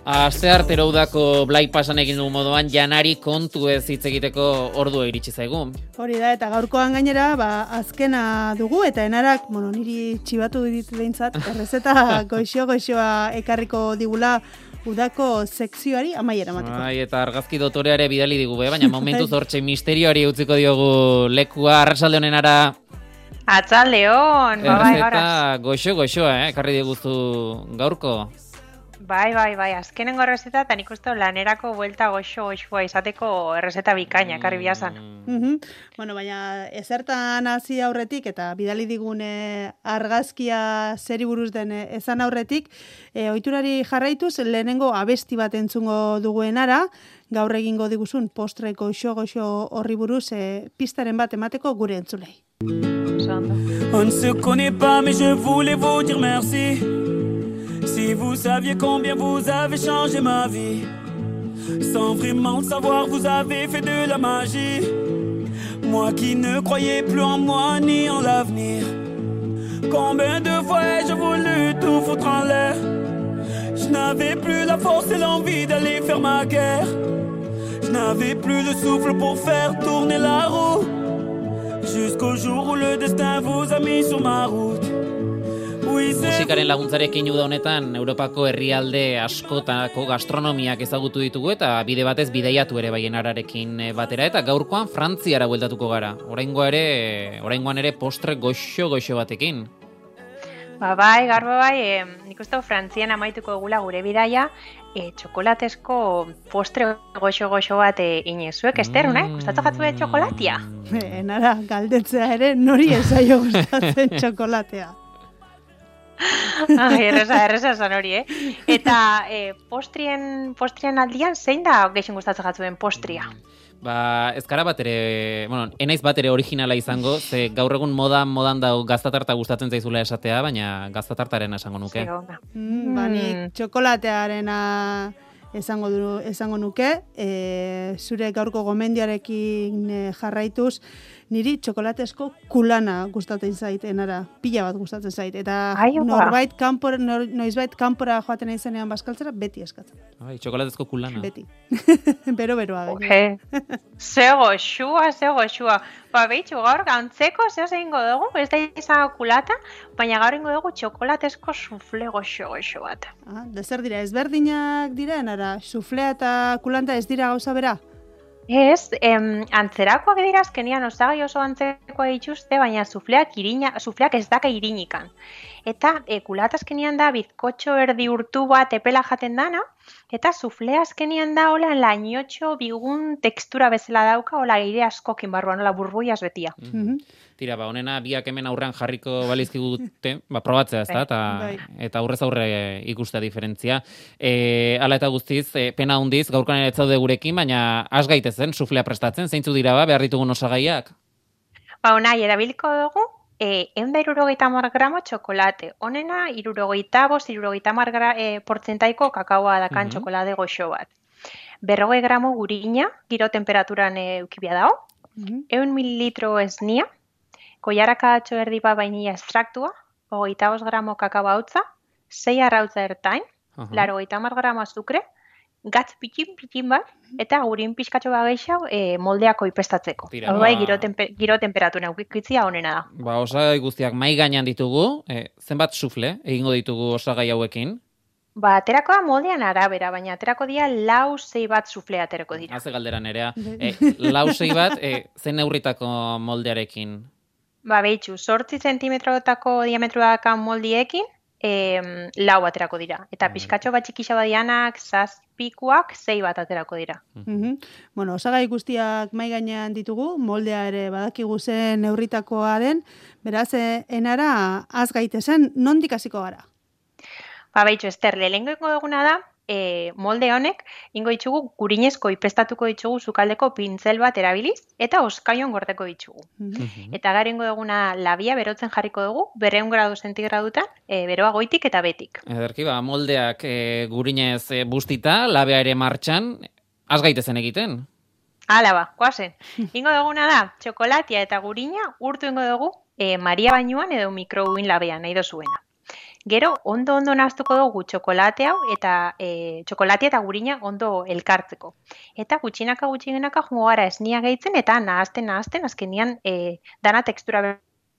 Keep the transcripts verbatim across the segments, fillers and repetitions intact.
Asteartero udako Blai Pasan egin du moduan janari kontu ez hitz egiteko ordua iritsi zaigu. Hori da, eta gaurkoan gainera, ba, azkena dugu, eta enarak, bueno, niri txibatu dit behintzat, errezeta goixo-goixoa ekarriko digula udako sekzioari amaiera mateko. Ai, eta argazki dotoreare bidali digu, be? Baina momentuz hortxe misterioari utziko diogu lekua. Arratsalde honenara. Atzaldeon, bai, Errezeta goixo-goixoa, eh? Ekarri diguzu gaurko. Bai, bai, bai, azkenengo errezeta, eta nik uste lanerako buelta goxo-goxoa izateko errezeta bikaina, ekarri biazan. Mm -hmm. Bueno, baina ezertan hasi aurretik, eta bidali digune argazkia zeri buruz den ezan aurretik, e, ohiturari jarraituz, lehenengo abesti bat entzungo duguenara, gaur egingo diguzun postre goxo-goxo horri buruz, e, pistaren bat emateko gure entzulei. On ne se connaît pas, mais je voulais vous dire merci. Si vous saviez combien vous avez changé ma vie, sans vraiment le savoir, vous avez fait de la magie. Moi qui ne croyais plus en moi ni en l'avenir, combien de fois ai-je voulu tout foutre en l'air. Je n'avais plus la force et l'envie d'aller faire ma guerre. Je n'avais plus le souffle pour faire tourner la roue, jusqu'au jour où le destin vous a mis sur ma route. Musikaren laguntzarekin uda honetan Europako herrialde askotako gastronomiak ezagutu ditugu eta bide batez bideiatu ere bai enararekin batera, eta gaurkoan Frantziara bueltatuko gara. Oraingoa ere, oraingoan ere postre goxo-goxo batekin. Ba bai, garbo bai, e, nik uste Frantzian amaituko egula gure bidaia, e, txokolatezko postre goxo-goxo bat e, inezuek, Ester, mm. nahi? Gustatzen jatzu de txokolatia? Enara, galdetzea ere, nori ezaio gustatzen txokolatea. Ai, erreza, erreza zan hori, eh? Eta eh, postrien, postrien aldian, zein da gehien gustatzen jatzuen postria? Ba, ez gara bat ere, bueno, enaiz bat ere originala izango, ze gaur egun modan, modan dau gaztatarta gustatzen zaizula esatea, baina gaztatartaren esango nuke. Mm, ba, nik txokolatearena esango, du, esango nuke, e, zure gaurko gomendiarekin e, jarraituz, niri txokolatezko kulana gustatzen zait, enara, pila bat gustatzen zait, eta Ai, norbait kanpora, nor, noizbait kanpora joaten izenean baskaltzera, beti eskatzen. Ai, txokolatezko kulana. Beti. Bero-beroa. Oje, zego xua, zego xua. Ba, behitxu, gaur gantzeko, zeo zehingo dugu, ez da izan kulata, baina gaur ingo dugu txokolatezko sufle goxo-goxo bat. Ah, da zer dira, ezberdinak dira, enara, suflea eta kulanta ez dira gauza bera? Ez, em, antzerakoak dira azkenian osagai oso antzekoa dituzte, baina sufleak, irina, sufleak ez daka irinikan. Eta e, kulata azkenian da bizkotxo erdi urtu bat epela jaten dana, eta suflea azkenian da hola lainotxo bigun tekstura bezala dauka, hola aire askokin barruan, hola burbuiaz betia. Mm-hmm. Tira, ba, honena biak hemen aurrean jarriko balizkigute, ba, probatzea ez da, eta, eta aurrez aurre ikustea diferentzia. E, ala eta guztiz, e, pena hundiz, gaurkan ere etzaude gurekin, baina has gaitezen, suflea prestatzen, zeintzu dira ba, behar ditugun osagaiak? Ba, honai, erabiliko dugu, e, eunda irurogeita hamar gramo txokolate. Honena, irurogeita bost, irurogeita hamar e, portzentaiko kakaoa dakan mm-hmm. txokolade goxo bat. Berrogei gramo gurina, giro temperaturan e, eukibia dago, mm-hmm. eun mililitro esnia, koiaraka atxo erdi bat vainilla estraktua, hogeita bost gramo kakao hautza, sei arrautza ertain, uh-huh. laro hogeita hamar gramo azukre, gatz pitin-pitin bat, eta gurin pixkatxo bat gehiago e, moldeako ipestatzeko. Hau bai, giro, temper, giro temperatura ukitzia honena da. Ba, osagai guztiak mai gainean ditugu, e, zenbat sufle egingo ditugu osagai hauekin? Ba, aterakoa moldean arabera, baina aterako dira lau zei bat sufle aterako dira. Haze galdera nerea. E, lau zei bat, e, zen neurritako moldearekin? Ba, behitxu, sortzi zentimetrotako diametroakan moldiekin, e, lau aterako dira. Eta pixkatxo bat txikisa badianak, zazpikuak, zei bat aterako dira. Mm-hmm. Bueno, osagai guztiak mai gainean ditugu, moldea ere badakigu zen neurritakoa den, beraz, enara, az gaitezen, nondik hasiko gara? Ba, behitxu, Ester, lehengo duguna da, E, molde honek, ingo ditugu gurinezko ipestatuko ditugu sukaldeko pintzel bat erabiliz, eta oskaion gordeko ditugu. Mm-hmm. Eta garengo duguna labia berotzen jarriko dugu, berreun gradu zentigradutan, e, beroa goitik eta betik. Ederki, ba, moldeak e, gurinez e, bustita, labea ere martxan, az gaitezen egiten? Hala ba, koazen. Ingo duguna da, txokolatia eta gurina urtu ingo dugu e, Maria bainuan edo mikrouin labean, nahi dozuena. Gero, ondo ondo nahaztuko dugu txokolate hau eta e, txokolatea eta gurina ondo elkartzeko. Eta gutxinaka gutxinaka jungo gara esnia gehitzen eta nahazten nahazten azkenian e, dana tekstura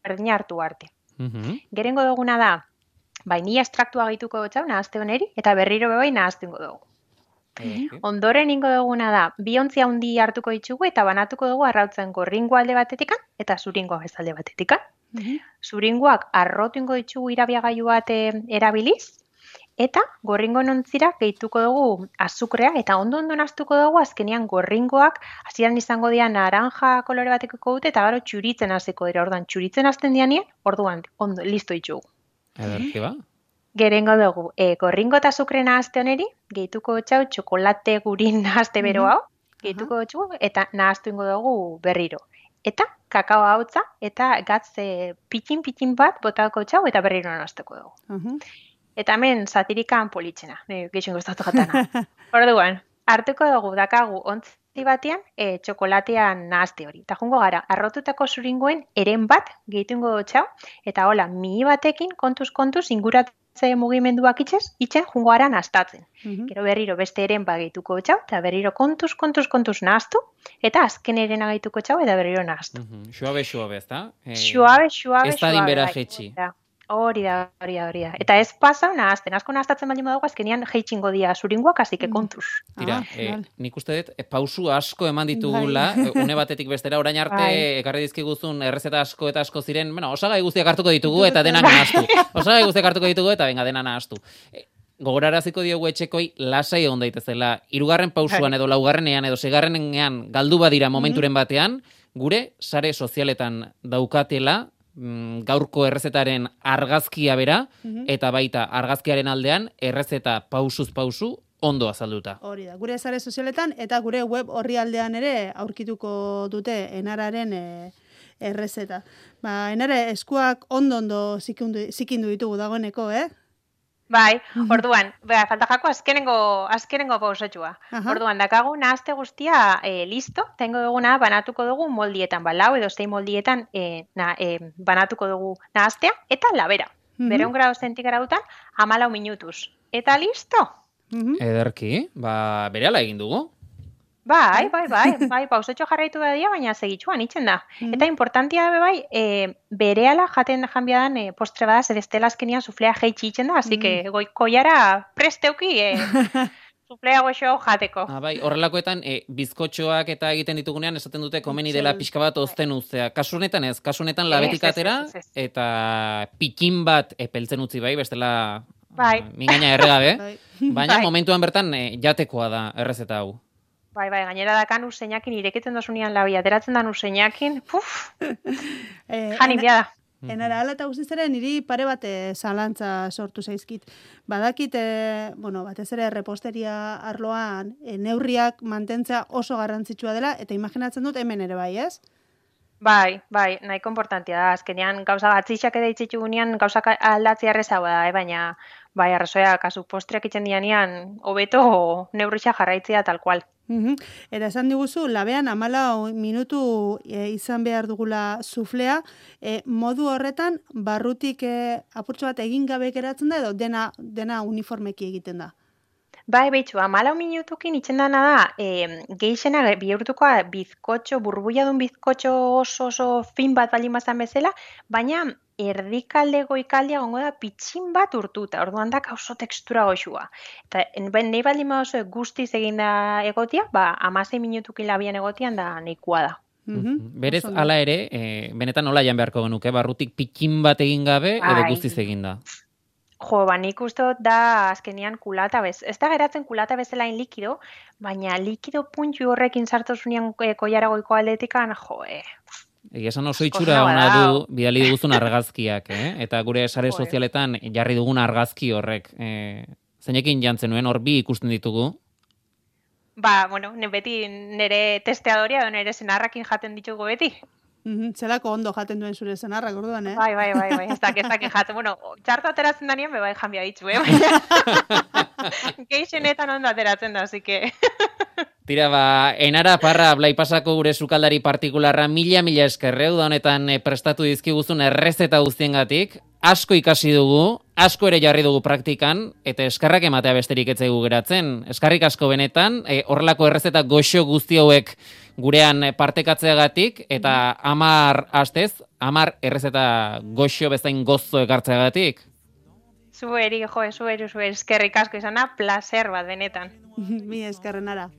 berdina hartu arte. Mhm. Gerengo duguna da, vainilla estraktua gehituko dutxau nahazte honeri eta berriro bebai nahaztengo dugu. Ondoren ingo duguna da, bi ontzi handi hartuko ditugu eta banatuko dugu arrautzen gorringo alde batetikan eta zuringoa bezalde batetikan. Zuringoak arrotu ingo ditugu irabiagailu bat erabiliz, eta gorringo ontzira gehituko dugu azukrea eta ondo ondo nahaztuko dugu azkenean gorringoak hasieran izango dira naranja kolore batekiko dute eta gero txuritzen hasiko dira. Orduan txuritzen hasten dianien, orduan ondo listo ditugu. Ederki ba. Gerengo dugu, e, gorringo eta azukre nahazte honeri, gehituko txau txokolate gurin nahazte bero hau, gehituko txu eta nahaztu ingo dugu berriro. Eta kakao hautza eta gatz e, pitin-pitin bat botako txau eta berriro nahazteko dugu. Uh-huh. Eta hemen satirikan politxena, gehixen gustatu jatana. Orduan, hartuko dugu dakagu ontzi batean e, txokolatean nahazte hori. Eta jungo gara, arrotutako zuringoen eren bat gehitu ingo txau eta hola, mihi batekin kontuz-kontuz inguratzen mugimenduak itxez, itxen jungo gara nahaztatzen. Uh-huh. Gero berriro beste eren bagituko txau, eta berriro kontuz, kontuz, kontuz nahaztu, eta azken eren agituko txau, eta berriro nahaztu. Uh-huh. Xuabe, xuabe, ez da? Eh, xuabe, xuabe, ez da dinbera jetxi. Hori da, hori da, hori da. Eta ez pasa nahazten, asko nahaztatzen baldin badago, azkenian jeitxingo dia zuringoak, azike kontuz. Tira, ah, eh, nik uste dut, e, pausu asko eman ditugula, une batetik bestera, orain arte, ekarri dizkiguzun errezeta asko eta asko ziren, bueno, osagai guztiak hartuko ditugu eta denak nahaztu. Osagai guztiak hartuko ditugu eta benga dena nahaztu. E, gogoraraziko diogu etxekoi lasai egon daitezela. Hirugarren pausuan edo laugarrenean edo seigarrenean galdu badira momenturen batean, gure sare sozialetan daukatela, gaurko errezetaren argazkia bera, mm-hmm. eta baita argazkiaren aldean errezeta pausuz pausu ondo azalduta. Hori da, gure sare sozialetan eta gure web orrialdean ere aurkituko dute enararen e, errezeta. Ba, enare eskuak ondo-ondo zikindu, zikindu ditugu dagoeneko, eh? Bai, orduan, ba, falta jako azkenengo, azkenengo pausatxua. Orduan, dakagu nahazte guztia e, listo, tengo duguna banatuko dugu moldietan, ba, lau edo zein moldietan e, na, e, banatuko dugu nahaztea, eta labera. Uh-huh. Bereun grado zentigaradutan, amalau minutuz. Eta listo? Uh-huh. Ederki, ba, berehala egin dugu. Bai, bai, bai, bai, pausatxo jarraitu da dia, baina segitxuan itzen da. Mm. Eta importantia da bai, e, berehala jaten janbiadan e, postre bada, zer estela azkenian suflea jeitxi itzen da, así mm. que goikoiara presteuki e, suflea goxo jateko. Ah, bai, horrelakoetan, e, bizkotxoak eta egiten ditugunean, esaten dute komeni dela pixka bat ozten uztea. Kasunetan ez, kasunetan labetik atera, eta pikin bat epeltzen utzi bai, bestela bai. uh, mingaina erregabe, baina bai. Momentuan bertan e, jatekoa da errezeta hau. Bai, bai, gainera dakan useinakin, ireketzen dasunean labi, ateratzen dan useinakin, puf, eh, jani bia da. Enara, ala eta guztiz niri pare bate zalantza sortu zaizkit. Badakit, e, bueno, batez ere reposteria arloan e, neurriak mantentzea oso garrantzitsua dela, eta imaginatzen dut hemen ere bai, ez? Bai, bai, nahiko importantia da. Azkenean, gauza gatzitxak edo itxitu gunean, gauza aldatzea erreza da, eh? Baina, bai, arrazoia, kasu postreak itzen dianean, hobeto neurritxa jarraitzea tal kual. Uhum. Eta esan diguzu, labean amalau minutu e, izan behar dugula suflea, e, modu horretan barrutik e, apurtxo bat egin gabe geratzen da edo dena, dena uniformeki egiten da? Bai, behitxu, amalau minutukin itzen dana da, e, geixena bihurtukoa bizkotxo, burbuiadun bizkotxo oso oso fin bat baldin bazan bezala, baina erdikalde goikaldia gongo da pitxin bat urtuta, orduan da oso tekstura goxua. Eta nahi baldin oso guztiz eginda egotia, ba, amasei minutukin labian egotian da nahikoa da. Mm-hmm. Berez, hala ere, e, benetan nola jan beharko genuke, barrutik pitxin bat egin gabe edo guztiz eginda? Jo, ba, nik uste da azkenian kulata bez. Ez da geratzen kulata bezalain likido, baina likido puntxu horrekin sartozunean e, koiara goiko aldetikan, jo, e... Egia esan oso itxura ona du bidali diguzun argazkiak, eh? Eta gure sare sozialetan jarri dugun argazki horrek. Eh, zeinekin jantzen nuen, hor bi ikusten ditugu? Ba, bueno, ne beti nire testeadoria, nire senarrakin jaten ditugu beti. Mm-hmm. Zelako ondo jaten duen zure senarrak, orduan, eh? Bai, bai, bai, bai, ez dakit, ez dakit jaten. Bueno, txarto ateratzen da nien, bebai janbia ditzu, eh? Geixenetan ondo ateratzen da, así que... Tira, ba, Enara Parra, Blaipasako gure sukaldari partikularra, mila-mila eskerreu da honetan prestatu dizkiguzun errezeta guztiengatik. Asko ikasi dugu, asko ere jarri dugu praktikan, eta eskarrak ematea besterik ez zaigu geratzen. Eskarrik asko benetan, e, horrelako errezeta goxo guzti hauek gurean partekatzeagatik, eta amar astez, amar errezeta goxo bezain gozo ekartzeagatik. Zueri, jo, zueri, zueri, eskerrik asko izana, placer bat benetan. Mi eskerrenara.